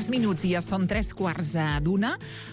3 minuts i ja són 3:15.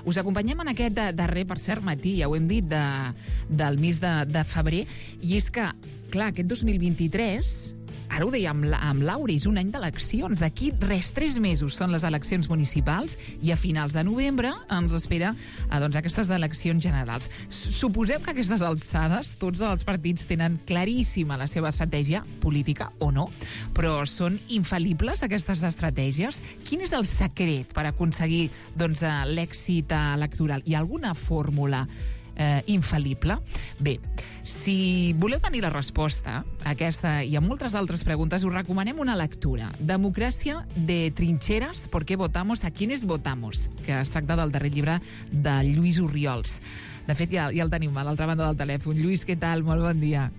Us acompanyem en aquest darrer, per cert, matí, ja ho hem dit, del mes de febrer, i és que, clar, aquest 2023... Ara ho deia amb Laura, és un any d'eleccions. D'aquí 3 mesos són les eleccions municipals i a finals de novembre ens espera aquestes eleccions generals. Suposem que a aquestes alçades tots els partits tenen claríssima la seva estratègia política, o no, però són infal·libles aquestes estratègies? Quin és el secret per aconseguir l'èxit electoral? Hi ha alguna fórmula infal·lible? Bé, si voleu tenir la resposta a aquesta i a moltes altres preguntes, us recomanem una lectura. Democràcia de trincheras, ¿por qué votamos? ¿A quiénes votamos? Que es tracta del darrer llibre de Lluís Orriols. De fet, ja el tenim a l'altra banda del telèfon. Lluís, què tal? Molt bon dia.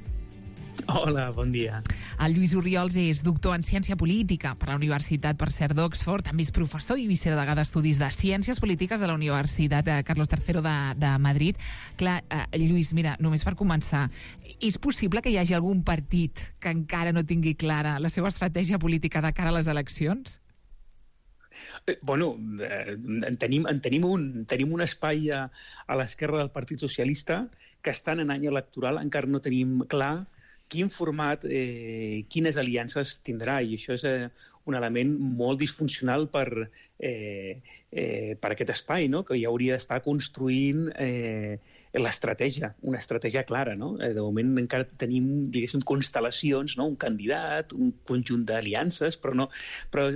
Hola, bon dia. El Lluís Orriols és doctor en Ciència Política per la Universitat, per cert, d'Oxford. També és professor i vicedegà d'Estudis de Ciències Polítiques a la Universitat Carlos III de Madrid. Clar, Lluís, mira, només per començar, és possible que hi hagi algun partit que encara no tingui clara la seva estratègia política de cara a les eleccions? Bueno, tenim un espai a l'esquerra del Partit Socialista que estan en any electoral, encara no tenim clar quin format, quines aliances tindrà, i això és un element molt disfuncional per aquest espai, no? Que ja hauria d'estar construint l'estratègia, una estratègia clara, no? De moment encara tenim, diguéssim, constel·lacions, no? Un candidat, un conjunt d'aliances, però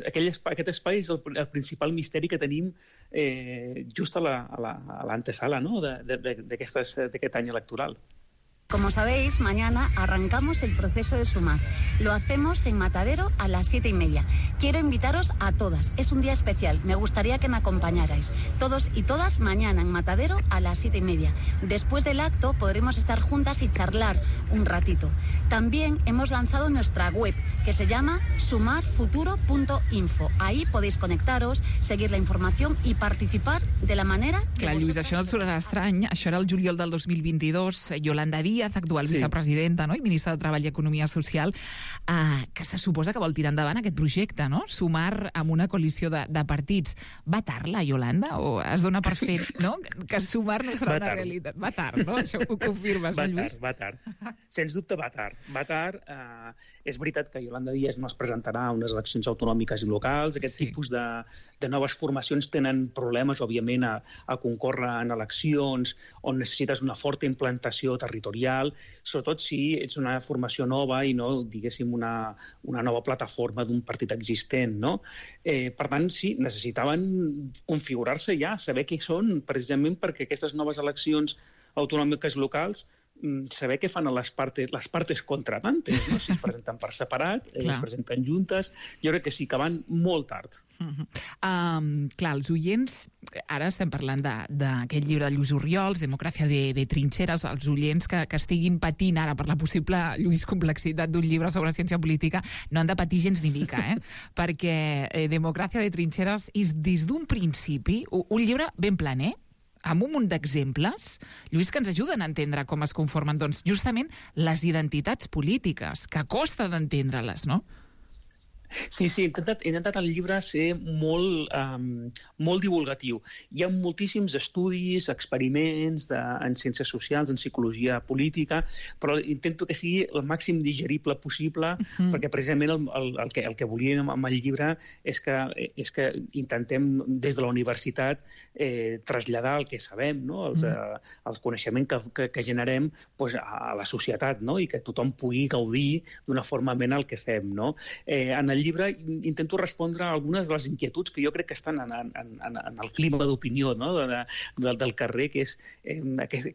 aquest espai és el principal misteri que tenim just a l'antesala, no? d'aquest any electoral. Como sabéis, mañana arrancamos el proceso de sumar. Lo hacemos en Matadero a las 7:30. Quiero invitaros a todas. Es un día especial. Me gustaría que me acompañarais. Todos y todas mañana en Matadero a las 7:30. Después del acto podremos estar juntas y charlar un ratito. También hemos lanzado nuestra web que se llama sumarfuturo.info. Ahí podéis conectaros, seguir la información y participar de la manera que Clar, Lluís, això no et sonarà estrany. Això era el juliol del 2022. Yolanda Díaz, actual vicepresidenta, no? I ministra de Treball i Economia Social, que se suposa que vol tirar endavant aquest projecte, no? Sumar amb una coalició de partits. Va tard, la Yolanda? O es dona per fet, no? Que sumar no serà una realitat. Va tard, no? Això ho confirmes, no, Lluís? Va tard. Sens dubte va tard. Va tard. És veritat que Yolanda Díaz no es presentarà a unes eleccions autonòmiques i locals. Aquest tipus de noves formacions tenen problemes, òbviament, a concórrer en eleccions on necessites una forta implantació territorial, sobretot si ets una formació nova i no, diguéssim, una nova plataforma d'un partit existent, no? Per tant, sí, necessitaven configurar-se ja, saber què són, precisament perquè aquestes noves eleccions autonòmiques locals saber què fan a les partes contratantes, no? Si es presenten per separat, es presenten juntes, jo crec que sí, que van molt tard. Clar, els oients, ara estem parlant d'aquest llibre de Lluís Orriols, Democràcia de trincheras, els oients que estiguin patint ara per la possible, Lluís, complexitat d'un llibre sobre ciència política, no han de patir gens ni mica, perquè Democràcia de trincheras és des d'un principi un llibre ben planer, amb un munt d'exemples, Lluís, que ens ajuden a entendre com es conformen, doncs, justament les identitats polítiques, que costa d'entendre-les, no? Sí, he intentat al llibre ser molt divulgatiu. Hi ha moltíssims estudis, experiments en ciències socials, en psicologia política, però intento que sigui el màxim digerible possible, perquè precisament el que volíem amb el llibre és que intentem des de la universitat traslladar el que sabem, no? El coneixement que generem a la societat, no? I que tothom pugui gaudir d'una forma amena el que fem, no? En el llibre intento respondre a algunes de les inquietuds que jo crec que estan en el clima d'opinió, no? del carrer, que és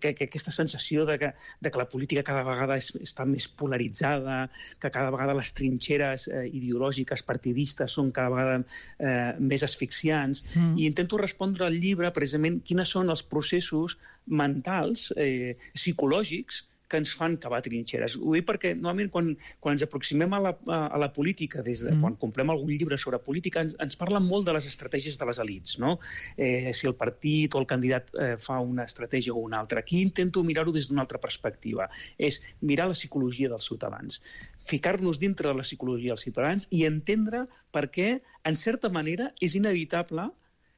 aquesta sensació de que la política cada vegada està més polaritzada, que cada vegada les trinxeres ideològiques partidistes són cada vegada més asfixiants, i intento respondre al llibre precisament quins són els processos mentals, psicològics, que ens fan cavar trinxeres. Ho dic perquè normalment quan ens aproximem a la política, des de quan comprem algun llibre sobre política, ens parlen molt de les estratègies de les elits, no? Si el partit o el candidat fa una estratègia o una altra. Aquí intento mirar-ho des d'una altra perspectiva. És mirar la psicologia dels ciutadans, ficar-nos dintre de la psicologia dels ciutadans i entendre per què, en certa manera, és inevitable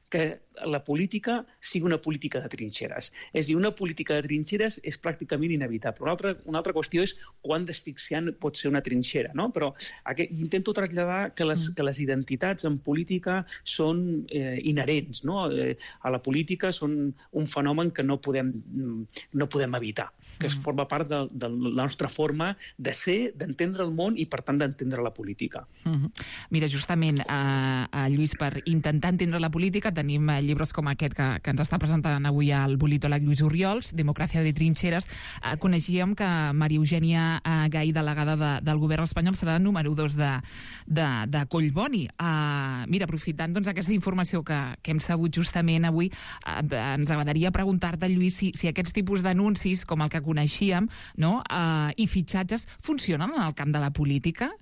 que la política sigui una política de trinxeres. És a dir, una política de trinxeres és pràcticament inevitable. Una altra qüestió és quant d'asfixiant pot ser una trinxera, no? Però intento traslladar que les identitats en política són inherents, no? A la política són un fenomen que no podem evitar, que forma part de la nostra forma de ser, d'entendre el món i, per tant, d'entendre la política. Mira, justament, Lluís, per intentar entendre la política tenim llibres com aquest que ens està presentant avui el politòleg Lluís Orriols, Democràcia de trinxeres. Coneixíem que Maria Eugènia Gay, delegada del govern espanyol, serà número 2 de Collboni. Mira, aprofitant aquesta informació que hem sabut justament avui, ens agradaria preguntar-te, Lluís, si aquests tipus d'anuncis, com el que coneixíem, i fitxatges, funcionen en el camp de la política?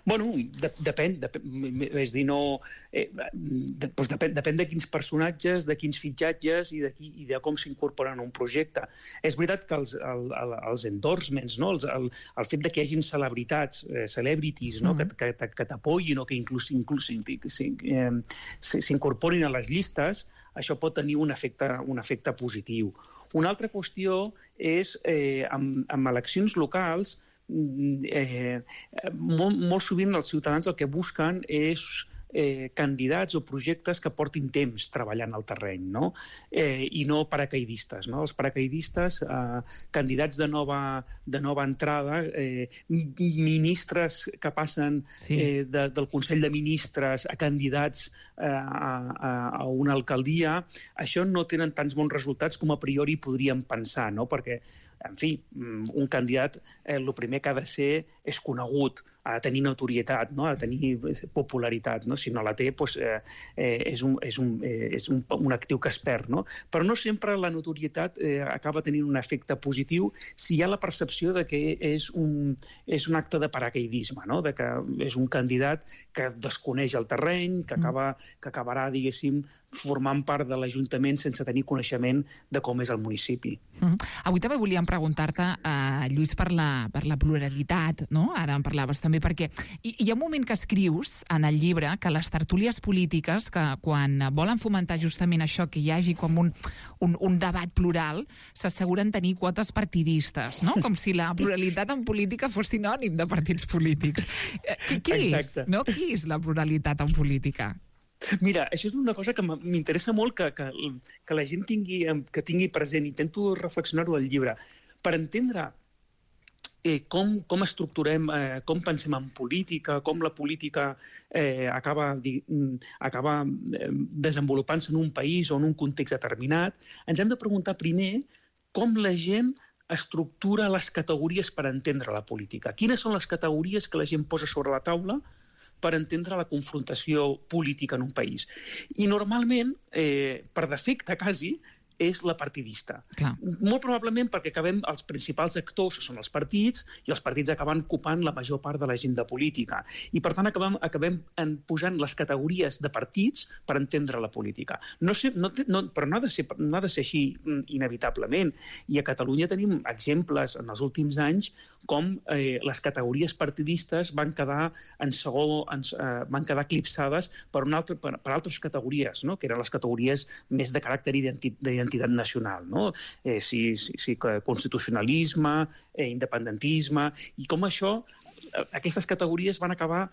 Bueno, depèn, és dir, depèn de quins personatges, de quins fitxatges i de com s'incorporen a un projecte. És veritat que els endorsements, el fet que hi hagin celebritats, celebrities, que t'apoyin o que inclús s'incorporin a les llistes, això pot tenir un efecte positiu. Una altra qüestió és, amb eleccions locals, molt sovint els ciutadans el que busquen és candidats o projectes que portin temps treballant al terreny, i no paracaidistes. Els paracaidistes, candidats de nova entrada, ministres que passen del Consell de Ministres a candidats a una alcaldia, això no tenen tants bons resultats com a priori podríem pensar, perquè, en fi, un candidat el primer que ha de ser és conegut, ha de tenir notorietat, ha de tenir popularitat. Si no la té, és un actiu que es perd. Però no sempre la notorietat acaba tenint un efecte positiu si hi ha la percepció de que és un acte de paracaidisme, de que és un candidat que desconeix el terreny, que acabarà, diguéssim, formant part de l'Ajuntament sense tenir coneixement de com és el municipi. Avui també volíem preguntar-te, Lluís, per la pluralitat, ara en parlaves també, perquè hi ha un moment que escrius en el llibre que les tertúlies polítiques, que quan volen fomentar justament això, que hi hagi com un debat plural, s'asseguren tenir quotes partidistes, com si la pluralitat en política fos sinònim de partits polítics. Què és la pluralitat en política? Mira, això és una cosa que m'interessa molt que la gent tingui present. Intento reflexionar-ho al llibre. Per entendre com estructurem, com pensem en política, com la política acaba desenvolupant-se en un país o en un context determinat, ens hem de preguntar primer com la gent estructura les categories per entendre la política. Quines són les categories que la gent posa sobre la taula per entendre la confrontació política en un país? I normalment, per defecte quasi, és la partidista. Molt probablement perquè els principals actors són els partits i els partits acaben ocupant la major part de l'agenda política. I per tant acabem posant les categories de partits per entendre la política. Però no ha de ser així inevitablement. I a Catalunya tenim exemples en els últims anys com les categories partidistes van quedar eclipsades per altres categories, que eren les categories més de caràcter d'identitat nacional, constitucionalisme, independentisme, i com aquestes categories van acabar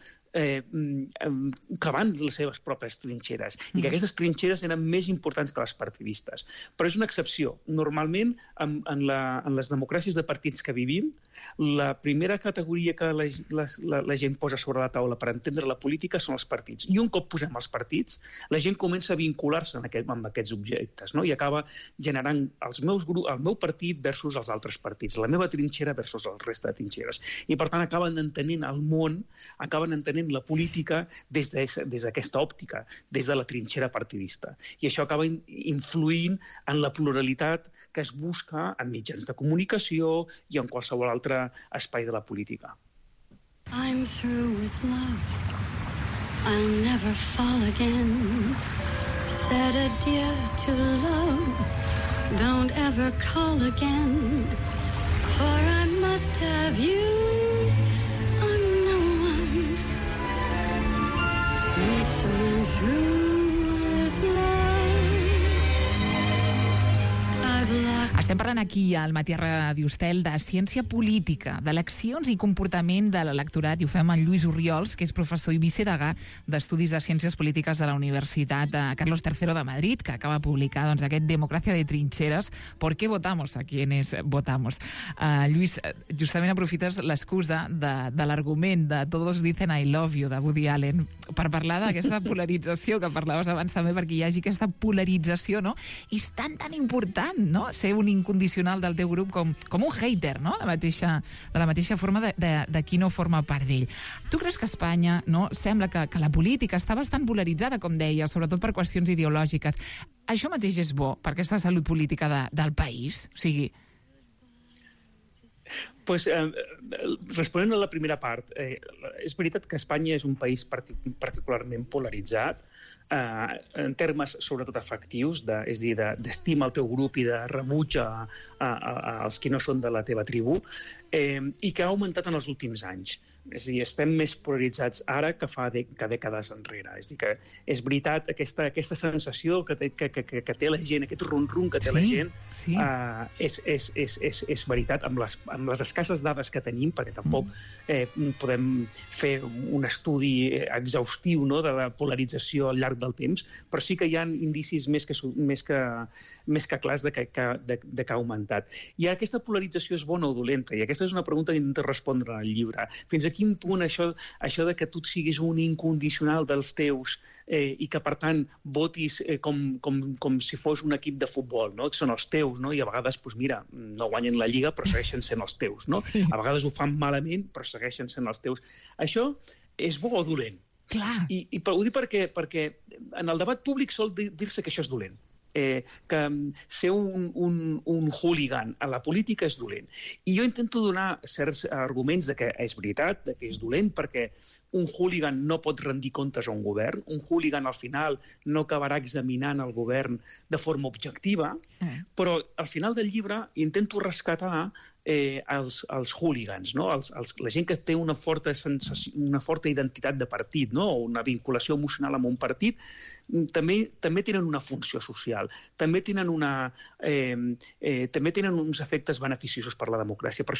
cavant les seves pròpies trinxeres, i que aquestes trinxeres eren més importants que les partidistes. Però és una excepció. Normalment, en les democràcies de partits que vivim, la primera categoria que la gent posa sobre la taula per entendre la política són els partits. I un cop posem els partits, la gent comença a vincular-se amb aquests objectes, i acaba generant el meu partit versus els altres partits, la meva trinxera versus el resta de trinxeres. I, per tant, acaben entenent el món, acaben entenent la política des d'aquesta òptica, des de la trinxera partidista. I això acaba influint en la pluralitat que es busca en mitjans de comunicació i en qualsevol altre espai de la política. I'm through with love. I'll never fall again. Said adieu to love. Don't ever call again. For I must have you. I'm no one. I'm so through with love. Estem parlant aquí al Matí a Ràdio Estel de ciència política, d'eleccions i comportament de l'electorat, i ho fem amb Lluís Orriols, que és professor i vicedegà d'Estudis de Ciències Polítiques de la Universitat Carlos III de Madrid, que acaba de publicar aquest Democracia de trincheras, ¿por qué votamos a quienes votamos? Lluís, justament aprofites l'excusa de l'argument de Todos dicen I love you, de Woody Allen, per parlar d'aquesta polarització que parlaves abans també, perquè hi hagi aquesta polarització, no? I és tan important, no?, ser un incondicional del teu grup com un hater, no?, de la mateixa forma de qui no forma part d'ell. Tu creus que a Espanya, no?, sembla que la política està bastant polaritzada, com deia, sobretot per qüestions ideològiques. Això mateix és bo per aquesta salut política del país? O sigui... Pues, responent a la primera part, és veritat que Espanya és un país particularment polaritzat, en termes sobretot afectius, és a dir, d'estima al teu grup i de rebuig als qui no són de la teva tribu, i que ha augmentat en els últims anys. És a dir, estem més polaritzats ara que fa dècades enrere. És a dir, que és veritat, aquesta sensació que té la gent, aquest rum-rum que té la gent, és veritat, amb les escasses dades que tenim, perquè tampoc podem fer un estudi exhaustiu, no?, de la polarització al llarg del temps, però sí que hi ha indicis més que clars de que ha augmentat. I aquesta polarització és bona o dolenta? I aquesta és una pregunta que intento respondre en el llibre. Fins a quin punt això de que tu siguis un incondicional dels teus i que, per tant, votis com si fos un equip de futbol, no?, que són els teus, no?, i a vegades, doncs mira, no guanyen la Lliga, però segueixen sent els teus, no? Sí. A vegades ho fan malament, però segueixen sent els teus. Això és bo o dolent? Clar. I ho dic perquè en el debat públic sol dir-se que això és dolent. Que ser un hooligan a la política és dolent. I jo intento donar certs arguments de que és veritat, de que és dolent, perquè un hooligan no pot rendir comptes a un govern, un hooligan al final no acabarà examinant el govern de forma objectiva, però al final del llibre intento rescatar els hooligans, no? La gent que té una forta identitat de partit, no?, o una vinculació emocional amb un partit, també tenen una funció social, també tenen uns efectes beneficiosos per la democràcia. Per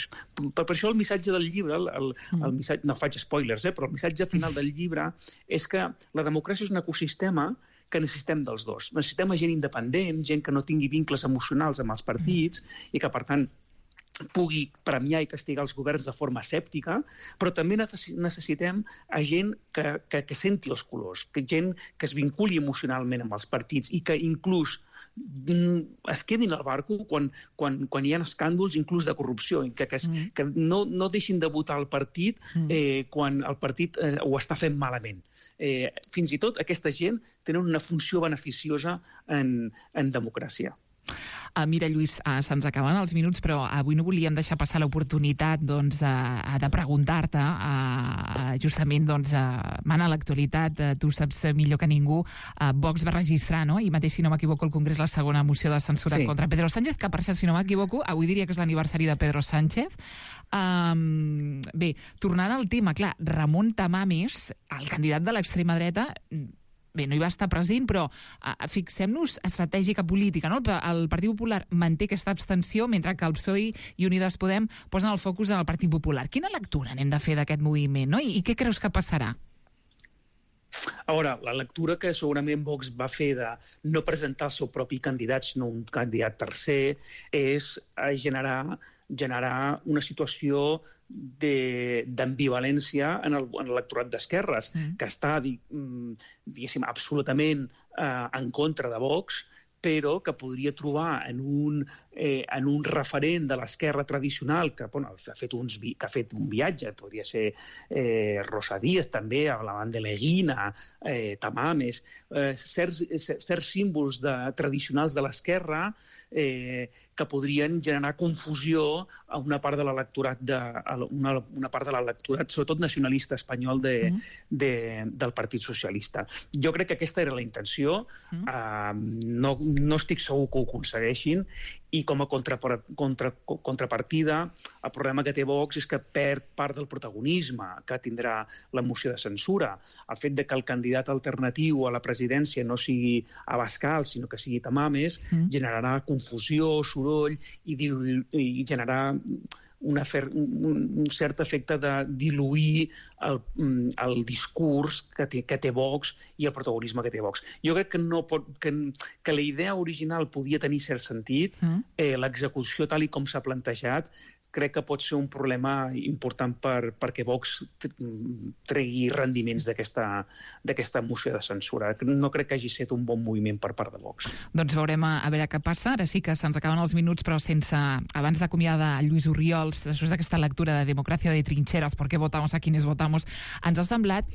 això el missatge del llibre, no faig spoilers, però el missatge final del llibre és que la democràcia és un ecosistema que necessitem dels dos. Necessitem gent independent, gent que no tingui vincles emocionals amb els partits i que, per tant, pugui premiar i castigar els governs de forma escèptica, però també necessitem gent que senti els colors, gent que es vinculi emocionalment amb els partits i que inclús es quedin al barco quan hi ha escàndols inclús de corrupció, que no deixin de votar el partit quan el partit ho està fent malament. Fins i tot aquesta gent tenen una funció beneficiosa en democràcia. Mira, Lluís, se'ns acaben els minuts, però avui no volíem deixar passar l'oportunitat de preguntar-te, justament, mana l'actualitat, tu saps millor que ningú, Vox va registrar, no?, i mateix, si no m'equivoco, el Congrés, la segona moció de censura contra Pedro Sánchez, que, per cert, si no m'equivoco, avui diria que és l'aniversari de Pedro Sánchez. Bé, tornant al tema, clar, Ramon Tamames, el candidat de l'extrema dreta, bé, no hi va estar present, però fixem-nos estratègica política, no? El Partit Popular manté aquesta abstenció, mentre que el PSOE i Unides Podem posen el focus en el Partit Popular. Quina lectura n'hem de fer d'aquest moviment, no? I què creus que passarà? A veure, la lectura que segurament Vox va fer de no presentar el seu propi candidat, sinó un candidat tercer, és generar una situació d'ambivalència en l'electorat d'esquerres, que està, diguéssim, absolutament en contra de Vox, però que podria trobar en un referent de l'esquerra tradicional que ha fet un viatge, podria ser Rosa Díez també, Ablamán de Leguina, Tamames, certs símbols tradicionals de l'esquerra que podrien generar confusió a una part de l'electorat, sobretot nacionalista espanyol del Partit Socialista. Jo crec que aquesta era la intenció, no estic segur que ho aconsegueixin, i com a contrapartida, el problema que té Vox és que perd part del protagonisme que tindrà la moció de censura. El fet de que el candidat alternatiu a la presidència no sigui Abascal, sinó que sigui Tamames, generarà confusió, soroll i generarà un cert efecte de diluir el discurs que té Vox i el protagonisme que té Vox. Jo crec que la idea original podia tenir cert sentit, l'execució tal com s'ha plantejat crec que pot ser un problema important perquè Vox tregui rendiments d'aquesta moció de censura. No crec que hagi estat un bon moviment per part de Vox. Doncs veurem a veure què passa. Ara sí que se'ns acaben els minuts, però abans d'acomiadar Lluís Orriols, després d'aquesta lectura de Democràcia de Trincheras, ¿por qué votamos a quienes votamos? Ens ha semblat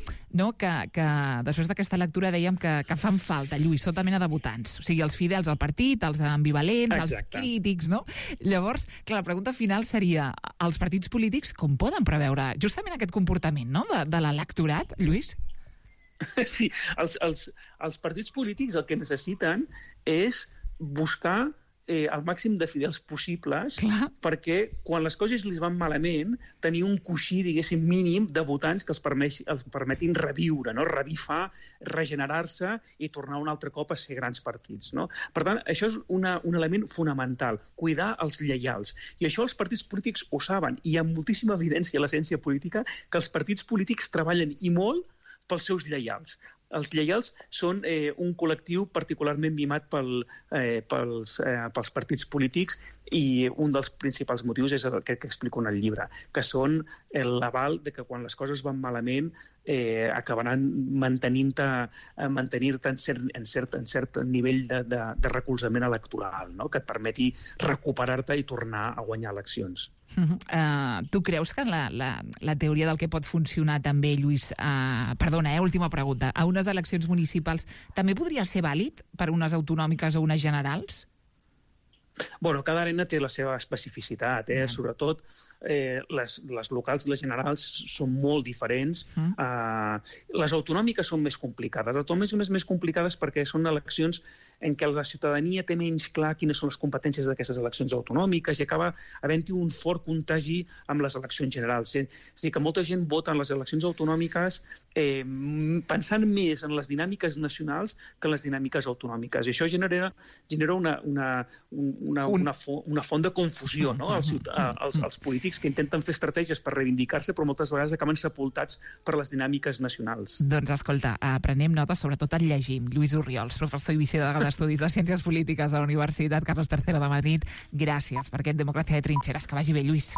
que després d'aquesta lectura dèiem que fan falta, Lluís, tota mena de votants. O sigui, els fidels al partit, els ambivalents, els crítics, no? Llavors, clar, la pregunta final seria els partits polítics com poden preveure justament aquest comportament, no?, de l'electorat, Lluís? Sí, els partits polítics el que necessiten és buscar el màxim de fidels possibles perquè quan les coses li van malament tenir un coixí, diguéssim, mínim de votants que els permetin reviure, no? Revifar, regenerar-se i tornar un altre cop a ser grans partits, no? Per tant, això és un element fonamental, cuidar els lleials. I això els partits polítics ho saben. I hi ha moltíssima evidència a la ciència política que els partits polítics treballen i molt pels seus lleials. Els lleials són un col·lectiu particularment mimat pels partits polítics i un dels principals motius és el que explico en el llibre, que són l'aval de que quan les coses van malament acabaran mantenir-te en cert nivell de recolzament electoral, no? Que et permeti recuperar-te i tornar a guanyar eleccions. Tu creus que la teoria del que pot funcionar també, Lluís, perdona, última pregunta, a unes eleccions municipals també podria ser vàlid per unes autonòmiques o unes generals? Bueno, cada arena té la seva especificitat, sobretot les locals i les generals són molt diferents. Les autonòmiques són més complicades. Les autonòmiques són més complicades perquè són eleccions en què la ciutadania té menys clar quines són les competències d'aquestes eleccions autonòmiques i acaba havent-hi un fort contagi amb les eleccions generals. És a dir, que molta gent vota en les eleccions autonòmiques pensant més en les dinàmiques nacionals que en les dinàmiques autonòmiques. I això genera una font de confusió, no? Els polítics que intenten fer estratègies per reivindicar-se, però moltes vegades acaben sepultats per les dinàmiques nacionals. Doncs escolta, prenem notes, sobretot el llegim. Lluís Orriols, professor i vicedelegà d'Estudis de Ciències Polítiques de la Universitat Carlos III de Madrid. Gràcies per aquest Democràcia de Trincheras. Que vagi bé, Lluís.